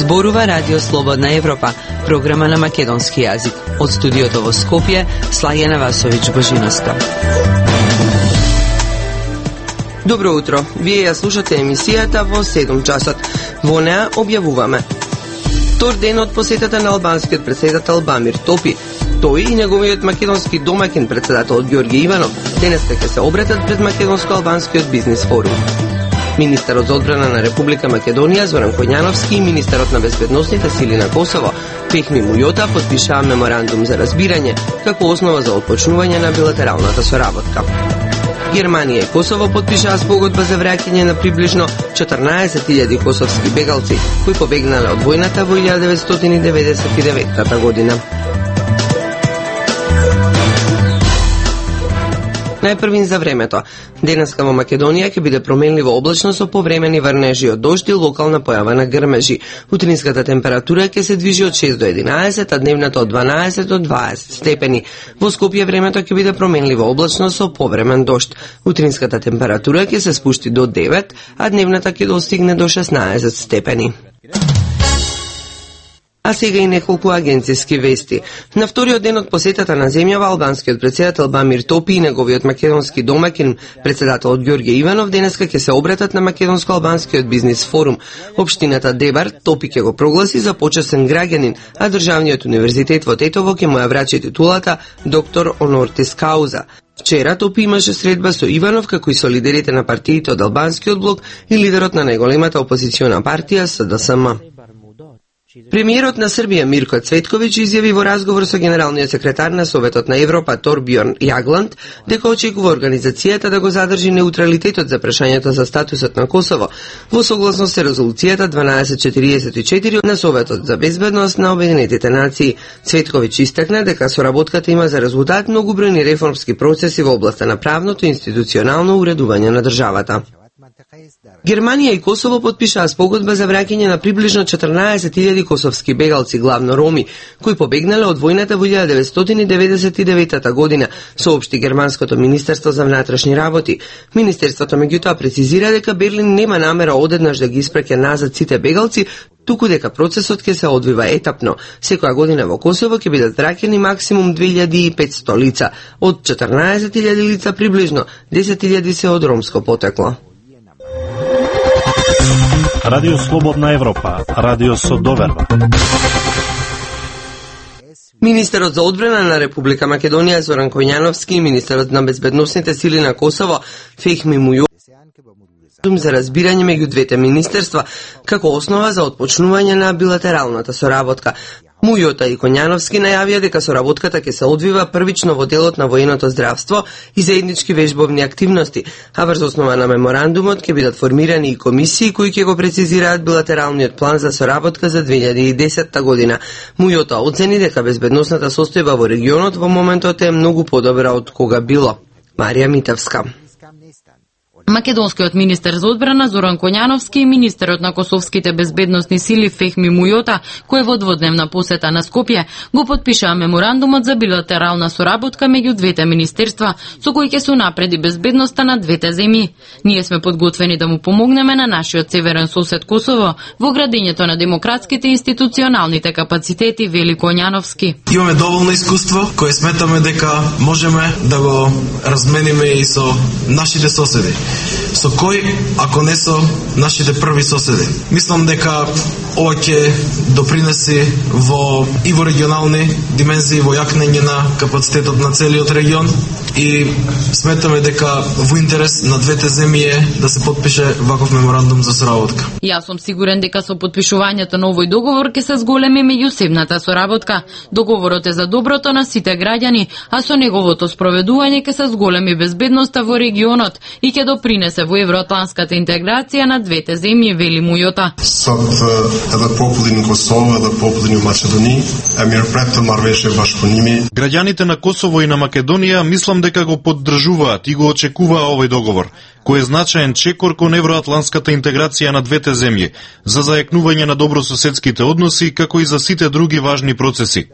Зборува Радио Слободна Европа, програма на македонски јазик. Од студиото во Скопје, Слајена Васовиќ Божиновска. Добро утро. Вие ја слушате емисијата во 7 часот. Во неа објавуваме втор ден од посетата на албанскиот претседател Бамир Топи. Тој и неговиот македонски домакин претседателот Ѓорѓе Иванов денеска ќе се обратат пред македонско-албанскиот бизнис форум. Министерот за одбрана на Република Македонија Зоран Коњановски и министерот на безбедносните сили на Косово Фехми Мујота потпишаа меморандум за разбирање како основа за отпочнување на билатералната соработка. Германија и Косово потпишаа спогодба за враќање на приближно 14.000 косовски бегалци кои побегнале од војната во 1999 година. Најпрвин за времето. Денеска во Македонија ќе биде променливо облачно со повремени врнежи од дожд и локална појава на грмежи. Утринската температура ќе се движи од 6 до 11, а дневната од 12 до 20 степени. Во Скопје времето ќе биде променливо облачно со повремен дожд. Утринската температура ќе се спушти до 9, а дневната ќе достигне до 16 степени. А сега и неколку агенцијски вести. На вториот ден од посетата на земјава, албанскиот претседател Бамир Топи и неговиот македонски домакин, претседателот Ѓорѓе Иванов, денеска ќе се обратат на македонско-албанскиот бизнис форум. Општината Дебар Топи ќе го прогласи за почесен граѓанин, а Државниот универзитет во Тетово ќе му ја врачи титулата доктор онортис кауза. Вчера Топи имаше средба со Иванов, како и со лидерите на партиите од албанскиот блок и лидерот на најголемата опозициона партија СДСМ. Премиерот на Србија Мирко Цветковиќ изјави во разговор со генералниот секретар на Советот на Европа Торбјорн Јагланд дека очекува организацијата да го задржи неутралитетот за прашањето за статусот на Косово во согласност со резолуцијата 1244 на Советот за безбедност на Обединетите нации. Цветковиќ истакна дека соработката има за резултат многобројни реформски процеси во областа на правното и институционално уредување на државата. Германија и Косово потпишаа спогодба за враќање на приближно 14.000 косовски бегалци, главно роми, кои побегнале од војната во 1999 година, соопшти германското министерство за внатрешни работи. Министерството меѓутоа прецизира дека Берлин нема намера одеднаш да ги испраќа назад сите бегалци, туку дека процесот ќе се одвива етапно. Секоја година во Косово ќе бидат враќани максимум 2500 лица. Од 14.000 лица приближно 10.000 се од ромско потекло. Радио Слободна Европа, радио со доверба. Министерот за одбрана на Република Македонија Зоран Коњановски и министерот на безбедносните сили на Косово Фехми Мујота за разбирање меѓу двете министерства како основа за отпочнување на билатералната соработка. Мујота и Коњановски најавија дека соработката ќе се одвива првично во делот на военото здравство и заеднички вежбовни активности, а врз основа на меморандумот ќе бидат формирани и комисии кои ќе го прецизираат билатералниот план за соработка за 2010 година. Мујота оцени дека безбедносната состојба во регионот во моментот е многу подобра од кога било. Марија Митевска. Македонскиот министер за одбрана Зоран Коњановски и министерот на косовските безбедносни сили Фехми Мујота, кој во дводневна посета на Скопје, го потпишаа меморандумот за билатерална соработка меѓу двете министерства, со кој ќе се унапреди безбедноста на двете земји. Ние сме подготвени да му помогнеме на нашиот северен сосед Косово во градењето на демократските и институционалните капацитети, вели Коњановски. Имаме доволно искуство кое сметаме дека можеме да го размениме и со нашите соседи. Со кој, ако не со нашите први соседи. Мислам дека ова ќе допринеси и во регионални димензии, во јакнење на капацитетот на целиот регион и сметаме дека во интерес на двете земји е да се потпише ваков меморандум за соработка. Јас сум сигурен дека со потпишувањето на овој договор ќе се зголеми меѓусебната соработка. Договорот е за доброто на сите граѓани, а со неговото спроведување ќе се зголеми безбедноста во регионот и ќе допринесе во евроатланската интеграција на двете земји, вели Мујота. Edhe popullin në Kosovë edhe popullin në Maqedoni e mirëpret të marrëveshje bashkëpunimi. Граѓаните на Косово и на Македонија мислам дека го поддржуваат и го очекуваа овој договор, кој е значаен чекор кон евроатлантската интеграција на двете земји, за зајакнување на добрососедските односи, како и за сите други важни процеси.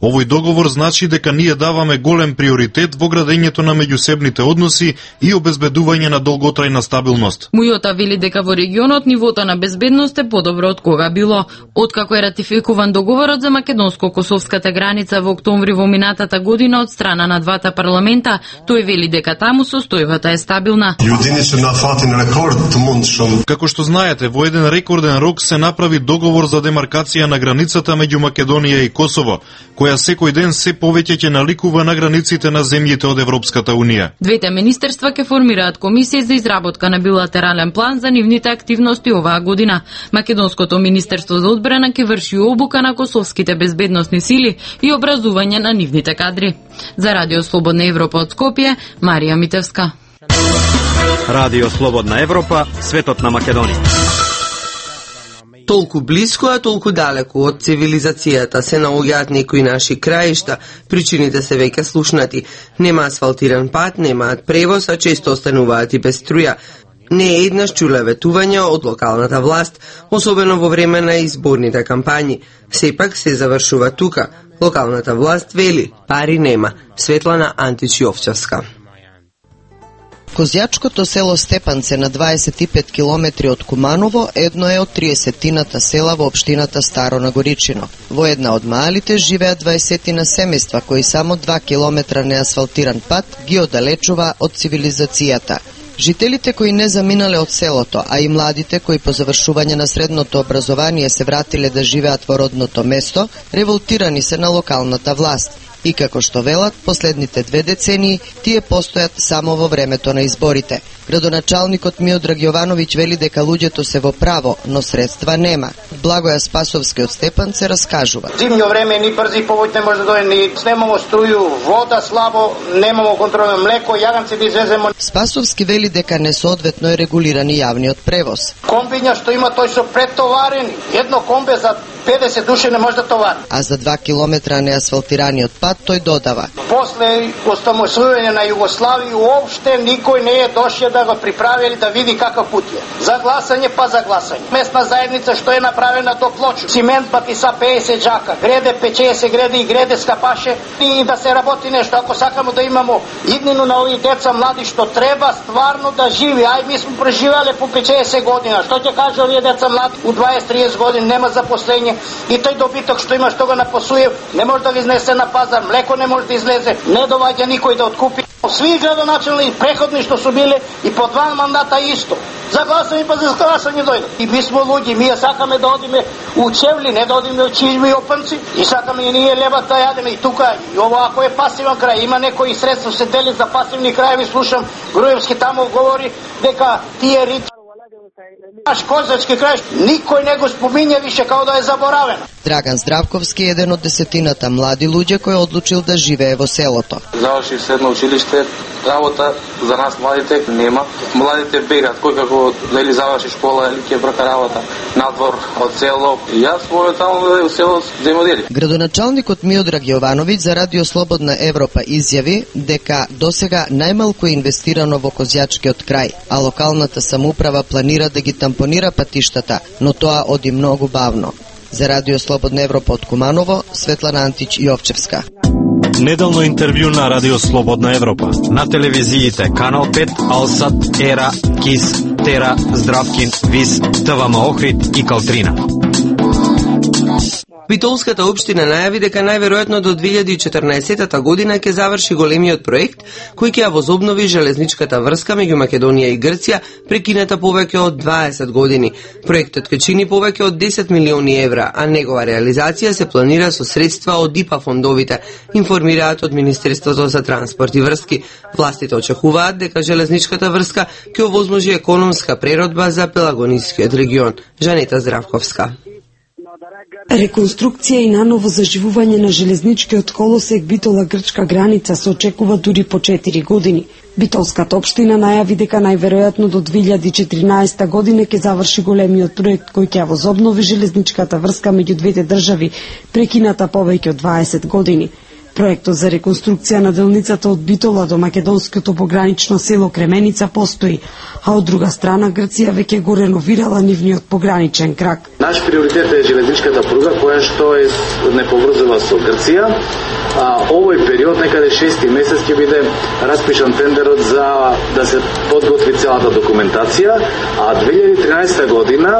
Овој договор значи дека ние даваме голем приоритет во градењето на меѓусебните односи и обезбедување на долготрајна стабилност. Мујота вели дека во регионот нивото на безбедност е подобро од кога било. Откако е ратификуван договорот за македонско-косовската граница во октомври во минатата година од страна на двата парламента, тој вели дека таму состојбата е стабилна. Како што знаете, во еден рекорден рок се направи договор за демаркација на границата меѓу Македонија и Косово, која секој ден се повеќе ќе наликува на границите на земјите од Европската Унија. Двете министерства ќе формираат комисија за изработка на билатерален план за нивните активности оваа година. Македонското министерство за одбрана ќе врши обука на косовските безбедносни сили и образување на нивните кадри. За Радио Слободна Европа од Скопје, Марија Митевска. Радио Слободна Европа, светот на Македонија. Толку близко, а толку далеку од цивилизацијата се наоѓаат некои наши краишта, причините се веќе слушнати. Нема асфалтиран пат, немаат превоз, а често остануваат и без струја. Не е еднаш чуле ветувања од локалната власт, особено во време на изборните кампањи. Сепак се завршува тука. Локалната власт вели, пари нема. Светлана Антич-Јовчевска. Козјачкото село Степанце на 25 километри од Куманово едно е од 30-тината села во општината Старо Нагоричино. Во една од маалите живеат 20-тина семејства кои само 2 километра неасфалтиран пат ги оддалечува од цивилизацијата. Жителите кои не заминале од селото, а и младите кои по завршување на средното образование се вратиле да живеат во родното место, револтирани се на локалната власт. И како што велат, последните 2 децении тие постојат само во времето на изборите. Градоначалникот Миодраг Јовановиќ вели дека луѓето се во право, но средства нема. Благоја Спасовски од Степанце раскажува. Зимно време ни брзи повој не може да дојде, ни немамо струју, вода слабо, немамо контролно млеко, јаганци да извеземо. Спасовски вели дека несоодветно е регулиран и јавниот превоз. Комбиња што има, тој се претоварени. Едно комбе за 50 души не може да товари. А за 2 километра неасфалтираниот пат тој додава. После остамосување на Југославија уопште никој не е дошел да го приправи да види каков пат е. За гласање па за гласање. Местна заедница што е направена до Плочу. Цимент пати са 50 джака, греде пече се греде и греде скапаше и да се работи нешто. Ако сакамо да имамо иднину на овие деца млади што треба стварно да живи. Ај ми сме преживеле по 50 година. Што ќе каже овие деца млади? У 20-30 години нема запослење и тој добиток што има што го напасуе не може да го изнесе на пазар. Млеко не може да излезе, не доваѓа никој да откупи. Сви градоначални преходни што су биле и по 2 мандата исто. За гласање па за гласање дојде. И ми сме луѓе, ние сакаме да одиме у Чевли, не да одиме у Чижми и Опанци. И сакаме и ние лебата да јадеме и тука. И ова ако е пасивен крај, има некои средства се дели за пасивни крајеви, слушам Груевски таму говори дека тие рит наш козачки крај, никој не го спомиња више као да е заборавен. Драган Здравковски е еден од 10-тината млади луѓе кој одлучил да живее во селото. Завршив средно училиште, работа за нас младите нема. Младите бегат, кој како дали заврши школа или ќе брака работа надвор од село. Јас можам таму да во село да им одели. Градоначалникот Миодраг Јовановиќ за Радио Слободна Европа изјави дека досега најмалку е инвестирано во Козјачкиот крај, а локалната самоуправа планира да ги тампонира патиштата, но тоа оди многу бавно. За Радио Слободна Европа од Куманово, Светлана Антич-Јовчевска. Неделно интервју на Радио Слободна Европа. На телевизиите Канал 5, Алсат, Ера, Кис, Тера, Здравкин, Вис, ТВМ Охрид и Калтрина. Битолската општина најави дека најверојатно до 2014 година ќе заврши големиот проект кој ќе ја возобнови железничката врска меѓу Македонија и Грција, прекината повеќе од 20 години. Проектот ќе чини повеќе од 10 милиони евра, а негова реализација се планира со средства од ИПА фондовите, информираат од Министерството за транспорт и врски. Властите очекуваат дека железничката врска ќе овозможи економска преродба за Пелагонискиот регион. Жанета Здравковска. Реконструкција и наново заживување на железничкиот колосек Битола-Грчка граница се очекува дури по 4 години. Битолската општина најави дека најверојатно до 2014 година ќе заврши големиот проект кој ќе возобнови железничката врска меѓу двете држави, прекината повеќе од 20 години. Проектот за реконструкција на делницата од Битола до македонското погранично село Кременица постои, а од друга страна Грција веќе го реновирала нивниот пограничен крак. Наш приоритет е железничката пруга која што е не поврзува со Грција. Овој период, некаде 6 месец, ќе биде распишан тендерот за да се подготви целата документација, а 2013 година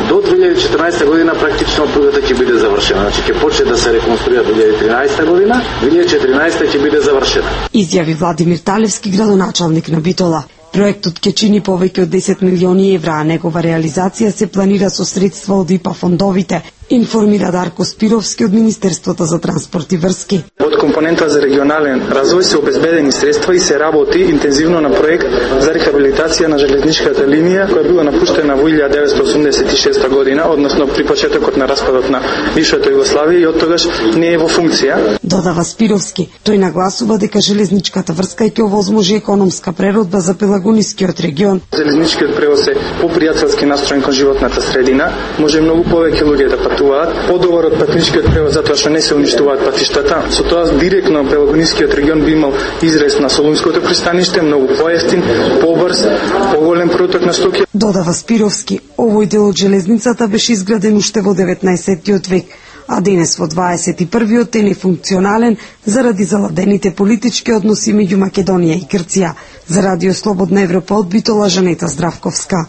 до 2014 година практично пругата ќе биде завршена. Значи ќе почне да се реконструира 2013 година, 2014 ќе биде завршена. Изјави Владимир Талевски, градоначалник на Битола. Проектот ќе чини повеќе од 10 милиони евра, а негова реализација се планира со средства од ИПА фондовите, информира Дарко Спировски од Министерството за транспорт и врски. Од компонента за регионален развој се обезбедени средства и се работи интензивно на проект за рехабилитација на железничката линија која била напуштена во 1986 година, односно при почетокот на распадот на бившата Југославија и од тогаш не е во функција. Додава Спировски, тој нагласува дека железничката врска ќе овозможи економска преродба за Пелагонискиот регион. Железничкиот превоз е попријателски настроен кон животната средина, може многу повеќе луѓе да патуваат, подобар од патничкиот превоз затоа што не се уништуваат патиштата. Со тоа директно Пелагонискиот регион би имал изрез на Солунското пристаниште, многу поевтин, побрз, поголем проток на стоки. Додава Спировски, овој дел од железницата беше изграден уште во 19-тиот век, а денес во 21-виот е нефункционален заради заладените политички односи меѓу Македонија и Грција. За Радио Слободна Европа од Битола, Жанета Здравковска.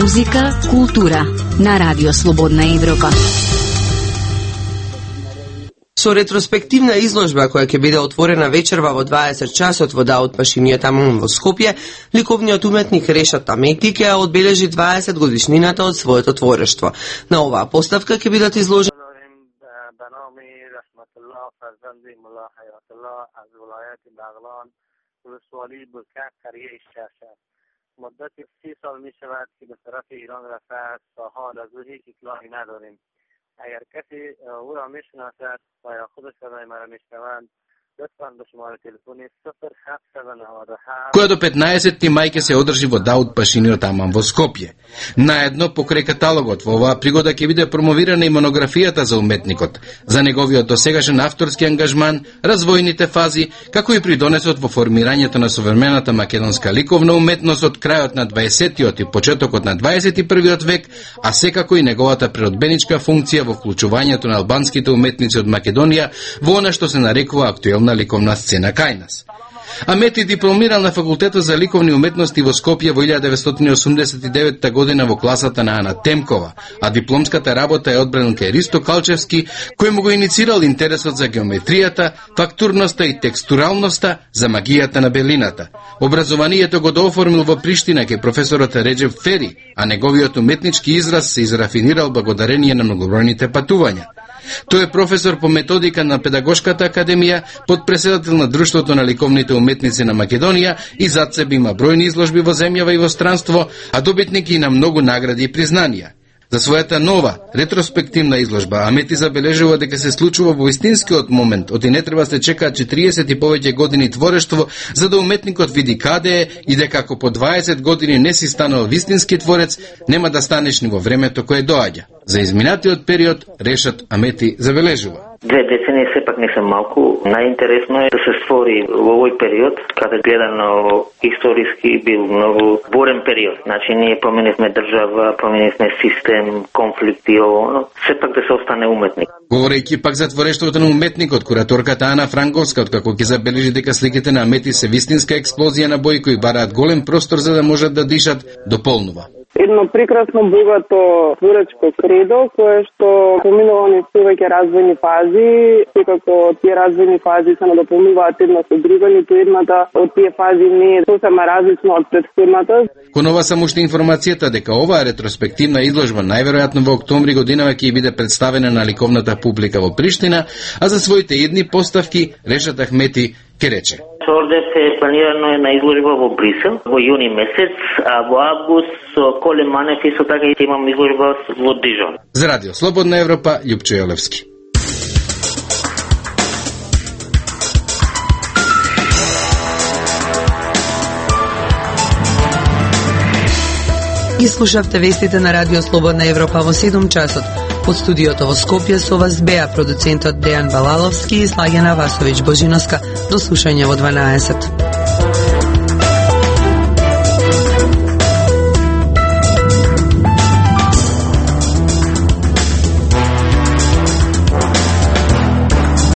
Музика, култура на Радио Слободна Европа. Со ретроспективна изложба која ќе биде отворена вечерва во 20 часот во Даут Пашимиот Амун во Скопје, ликовниот уметник Решат Амети ќе одбележи 20 годишнината од своето творештво. На оваа поставка ќе бидат изложени مدت 30 سال می شود که به طرف ایران رفته است تا حال از او هیچ اطلاعی نداریم. اگر کسی او را می شناسد و یا خود صدای مرا می شنوند لطفاً به شماره تلفنی 0797 која до 15 мај ќе се одржи во Даут Пашимиот Амун во Скопје. Наедно покрај каталогот во оваа пригода ќе биде промовирана и монографијата за уметникот, за неговиот досегашен авторски ангажман, развојните фази, како и придонесот во формирањето на современата македонска ликовна уметност од крајот на 20-тиот и почетокот на 21-виот век, а секако и неговата природбеничка функција во вклучувањето на албанските уметници од Македонија во она што се нарекува актуелна ликовна сцена кај нас. Амети дипломирал на факултетот за ликовни уметности во Скопје во 1989 година во класата на Ана Темкова, а дипломската работа е одбран кај Ристо Калчевски, кој му го иницирал интересот за геометријата, фактурноста и текстуралноста, за магијата на белината. Образованието го дооформил во Приштина кај професорот Реджеп Фери, а неговиот уметнички израз се израфинирал благодарение на многобројните патувања. Тој е професор по методика на Педагошката академија, подпредседател на Друштвото на ликовните уметници на Македонија и зад себе има бројни изложби во земјава и во странство, а добитник и на многу награди и признанија. За својата нова, ретроспективна изложба, Амети забележува дека се случува во истинскиот момент, оти не треба се чекаат 40 и повеќе години творештво, за да уметникот види каде е и дека ако по 20 години не си станал вистински творец, нема да станеш ни во времето кое доаѓа. За изминатиот период, Решат Амети забележува. 2 децении сепак не се малку. Најинтересно е да се створи во овој период, каде гледано историски бил многу бурен период. Значи, ние променивме држава, променивме систем, конфликти, но сепак да се остане уметник. Говорејќи пак за творештвото на уметникот, кураторката Ана Франковска, откако ќе забележи дека сликите на Амети се вистинска експлозија на бои кои бараат голем простор за да можат да дишат, дополнува. Едно прекрасно богато творечко кредо, кое што поминува низ повеќе развојни фази, секако тие развојни фази се надополнуваат една со друга, ниту едната од тие фази не е сосема различна од претходната. Кон ова само уште информацијата дека оваа ретроспективна изложба најверојатно во октомври годинава ќе биде представена на ликовната публика во Приштина, а за своите едни поставки Решат Амети ке рече. Ордев е планирано на изложба во Брисел во јуни месец, а во август со Коле Манев и со така ќе имам изложба во Дижон. За Радио Слободна Европа, Љупчо Јолевски. Ги слушавте вестите на Радио Слободна Европа во 7 часот. Од студиото во Скопје со вас беа продуцентот Дејан Балаловски и Слагена Васовиќ Божиновска. До слушање во 12.